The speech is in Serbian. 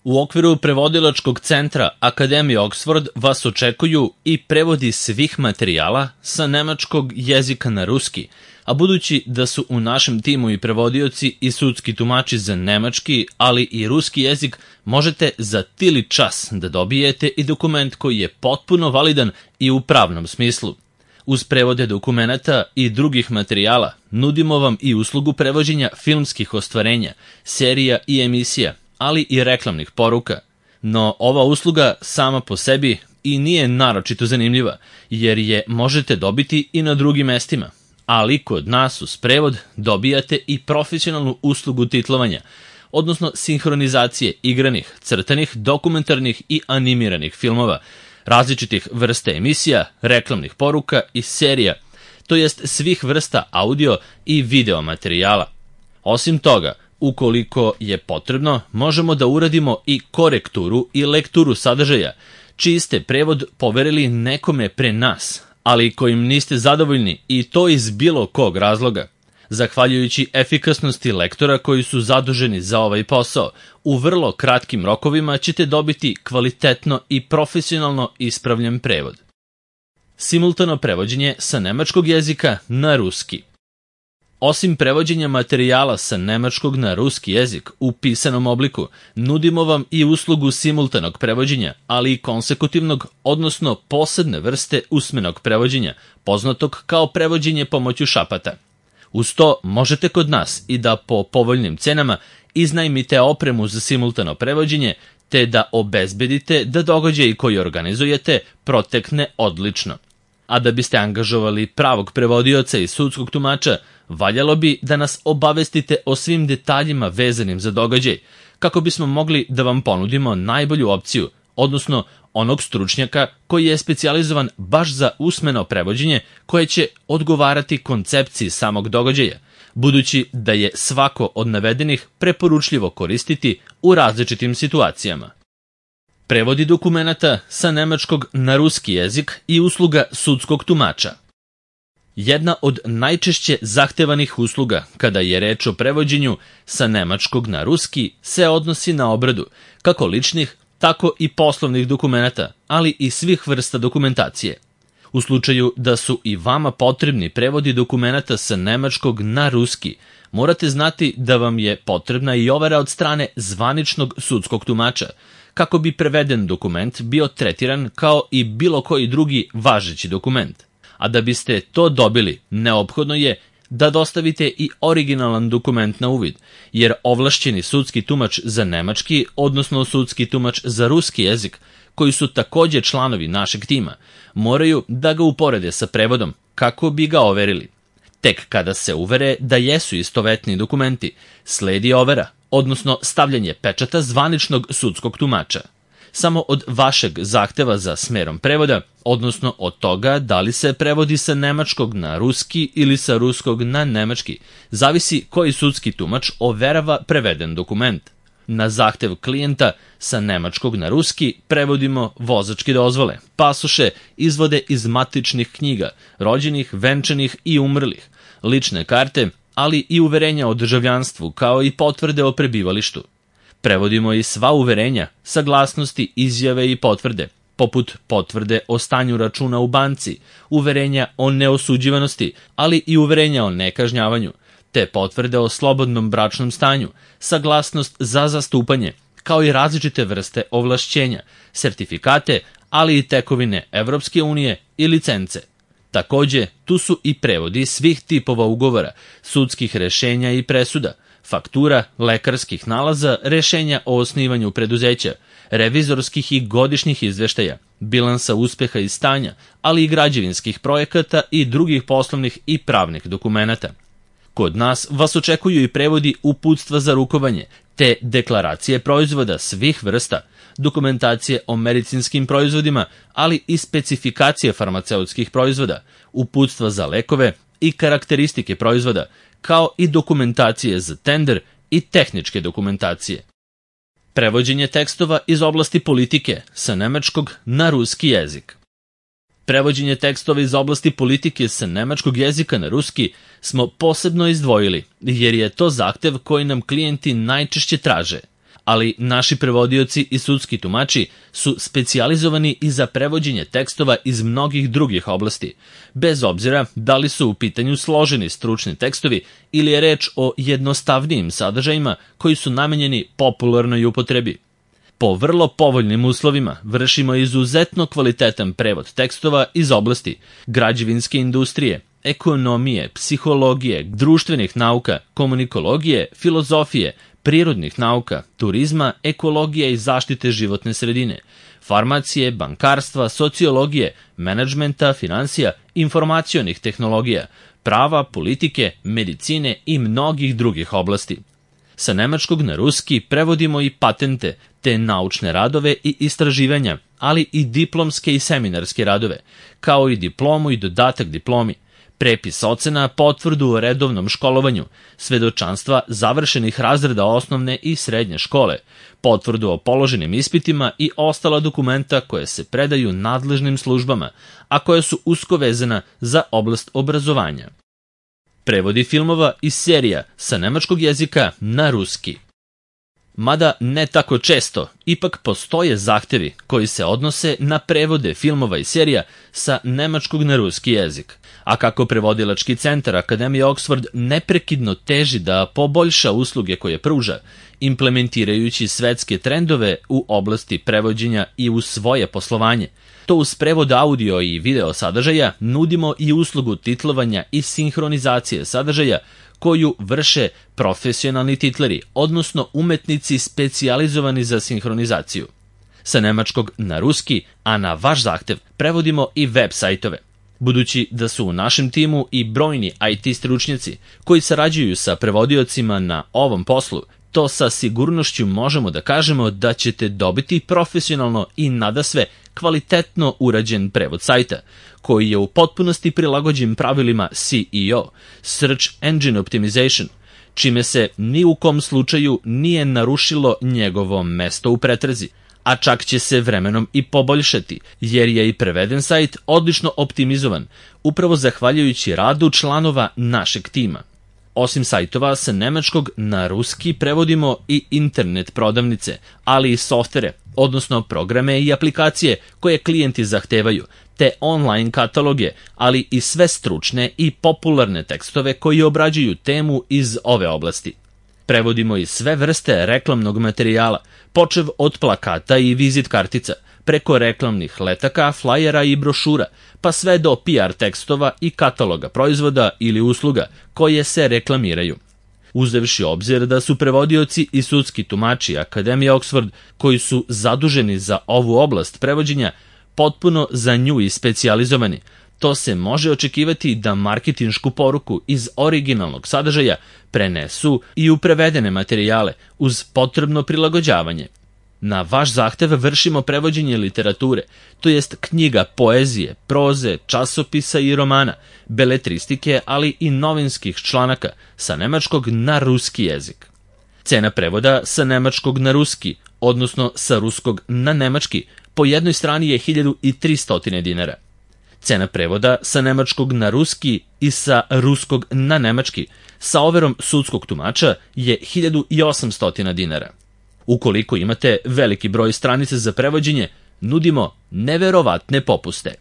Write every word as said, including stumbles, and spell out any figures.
U okviru prevodilačkog centra Akademije Oxford vas očekuju i prevodi svih materijala sa nemačkog jezika na ruski, a budući da su u našem timu i prevodioci i sudski tumači za nemački, ali i ruski jezik, možete za tili čas da dobijete i dokument koji je potpuno validan i u pravnom smislu. Uz prevode dokumenata i drugih materijala nudimo vam i uslugu prevođenja filmskih ostvarenja, serija i emisija, ali i reklamnih poruka. No ova usluga sama po sebi i nije naročito zanimljiva, jer je možete dobiti i na drugim mestima. Ali kod nas uz prevod dobijate i profesionalnu uslugu titlovanja, odnosno sinhronizacije igranih, crtanih, dokumentarnih i animiranih filmova, različitih vrsta emisija, reklamnih poruka i serija, to jest svih vrsta audio i video materijala. Osim toga, ukoliko je potrebno, možemo da uradimo i korekturu i lekturu sadržaja, čiji ste prevod poverili nekome pre nas, ali kojim niste zadovoljni i to iz bilo kog razloga. Zahvaljujući efikasnosti lektora koji su zaduženi za ovaj posao, u vrlo kratkim rokovima ćete dobiti kvalitetno i profesionalno ispravljen prevod. Simultano prevođenje sa nemačkog jezika na ruski. Osim prevođenja materijala sa nemačkog na ruski jezik u pisanom obliku, nudimo vam i uslugu simultanog prevođenja, ali i konsekutivnog, odnosno posebne vrste usmenog prevođenja, poznatog kao prevođenje pomoću šapata. Uz to možete kod nas i da po povoljnim cenama iznajmite opremu za simultano prevođenje, te da obezbedite da događaj koji organizujete protekne odlično. A da biste angažovali pravog prevodioca i sudskog tumača, valjalo bi da nas obavestite o svim detaljima vezanim za događaj, kako bismo mogli da vam ponudimo najbolju opciju, odnosno onog stručnjaka koji je specijalizovan baš za usmeno prevođenje koje će odgovarati koncepciji samog događaja, budući da je svako od navedenih preporučljivo koristiti u različitim situacijama. Prevodi dokumenata sa nemačkog na ruski jezik i usluga sudskog tumača. Jedna od najčešće zahtevanih usluga kada je reč o prevođenju sa nemačkog na ruski se odnosi na obradu kako ličnih, tako i poslovnih dokumenata, ali i svih vrsta dokumentacije. U slučaju da su i vama potrebni prevodi dokumenata sa nemačkog na ruski, morate znati da vam je potrebna i overa od strane zvaničnog sudskog tumača, kako bi preveden dokument bio tretiran kao i bilo koji drugi važeći dokument. A da biste to dobili, neophodno je da dostavite i originalan dokument na uvid, jer ovlašćeni sudski tumač za nemački, odnosno sudski tumač za ruski jezik, koji su takođe članovi našeg tima, moraju da ga uporede sa prevodom kako bi ga overili. Tek kada se uvere da jesu istovetni dokumenti, sledi overa, odnosno stavljanje pečata zvaničnog sudskog tumača. Samo od vašeg zahteva za smerom prevoda, odnosno od toga da li se prevodi sa nemačkog na ruski ili sa ruskog na nemački, zavisi koji sudski tumač overava preveden dokument. Na zahtev klijenta sa nemačkog na ruski prevodimo vozačke dozvole, pasoše, izvode iz matičnih knjiga, rođenih, venčanih i umrlih, lične karte, ali i uverenja o državljanstvu kao i potvrde o prebivalištu. Prevodimo i sva uverenja, saglasnosti, izjave i potvrde, poput potvrde o stanju računa u banci, uverenja o neosuđivanosti, ali i uverenja o nekažnjavanju, te potvrde o slobodnom bračnom stanju, saglasnost za zastupanje, kao i različite vrste ovlašćenja, sertifikate, ali i tekovine Evropske unije i licence. Takođe, tu su i prevodi svih tipova ugovora, sudskih rešenja i presuda, faktura, lekarskih nalaza, rešenja o osnivanju preduzeća, revizorskih i godišnjih izveštaja, bilansa uspeha i stanja, ali i građevinskih projekata i drugih poslovnih i pravnih dokumenata. Kod nas vas očekuju i prevodi uputstva za rukovanje, te deklaracije proizvoda svih vrsta, dokumentacije o medicinskim proizvodima, ali i specifikacije farmaceutskih proizvoda, uputstva za lekove i karakteristike proizvoda, kao i dokumentacije za tender i tehničke dokumentacije. Prevođenje tekstova iz oblasti politike sa nemačkog na ruski jezik. Prevođenje tekstova iz oblasti politike sa nemačkog jezika na ruski smo posebno izdvojili, jer je to zahtev koji nam klijenti najčešće traže, ali naši prevodioci i sudski tumači su specijalizovani i za prevođenje tekstova iz mnogih drugih oblasti, bez obzira da li su u pitanju složeni stručni tekstovi ili je reč o jednostavnijim sadržajima koji su namenjeni popularnoj upotrebi. Po vrlo povoljnim uslovima vršimo izuzetno kvalitetan prevod tekstova iz oblasti građevinske industrije, ekonomije, psihologije, društvenih nauka, komunikologije, filozofije, prirodnih nauka, turizma, ekologije i zaštite životne sredine, farmacije, bankarstva, sociologije, menadžmenta, finansija, informacionih tehnologija, prava, politike, medicine i mnogih drugih oblasti. Sa nemačkog na ruski prevodimo i patente, te naučne radove i istraživanja, ali i diplomske i seminarske radove, kao i diplomu i dodatak diplomi, prepis ocena, potvrdu o redovnom školovanju, svedočanstva završenih razreda osnovne i srednje škole, potvrdu o položenim ispitima i ostala dokumenta koje se predaju nadležnim službama, a koja su usko vezana za oblast obrazovanja. Prevodi filmova i serija sa nemačkog jezika na ruski. Mada ne tako često, ipak postoje zahtevi koji se odnose na prevode filmova i serija sa nemačkog na ruski jezik. A kako prevodilački centar Akademije Oxford neprekidno teži da poboljša usluge koje pruža, implementirajući svetske trendove u oblasti prevođenja i u svoje poslovanje, to uz prevod audio i video sadržaja nudimo i uslugu titlovanja i sinhronizacije sadržaja koju vrše profesionalni titleri, odnosno umetnici specijalizovani za sinhronizaciju. Sa nemačkog na ruski, a na vaš zahtev, prevodimo i web sajtove. Budući da su u našem timu i brojni I T stručnjaci koji sarađuju sa prevodiocima na ovom poslu, to sa sigurnošću možemo da kažemo da ćete dobiti profesionalno i nadasve kvalitetno urađen prevod sajta, koji je u potpunosti prilagođen pravilima S E O, Search Engine Optimization, čime se ni u kom slučaju nije narušilo njegovo mesto u pretrazi, a čak će se vremenom i poboljšati, jer je i preveden sajt odlično optimizovan, upravo zahvaljujući radu članova našeg tima. Osim sajtova sa nemačkog na ruski prevodimo i internet prodavnice, ali i softere, odnosno programe i aplikacije koje klijenti zahtevaju, te online kataloge, ali i sve stručne i popularne tekstove koji obrađuju temu iz ove oblasti. Prevodimo i sve vrste reklamnog materijala, počev od plakata i vizit kartica, preko reklamnih letaka, flajera i brošura, pa sve do P R tekstova i kataloga proizvoda ili usluga koje se reklamiraju. Uzevši obzir da su prevodioci i sudski tumači Akademije Oxford, koji su zaduženi za ovu oblast prevođenja, potpuno za nju i specijalizovani, to se može očekivati da marketinšku poruku iz originalnog sadržaja prenesu i u prevedene materijale uz potrebno prilagođavanje. Na vaš zahtev vršimo prevođenje literature, to jest knjiga, poezije, proze, časopisa i romana, beletristike, ali i novinskih članaka sa nemačkog na ruski jezik. Cena prevoda sa nemačkog na ruski, odnosno sa ruskog na nemački, po jednoj strani je hiljadu tristo dinara. Cena prevoda sa nemačkog na ruski i sa ruskog na nemački sa overom sudskog tumača je hiljadu osamsto dinara. Ukoliko imate veliki broj stranica za prevođenje, nudimo neverovatne popuste.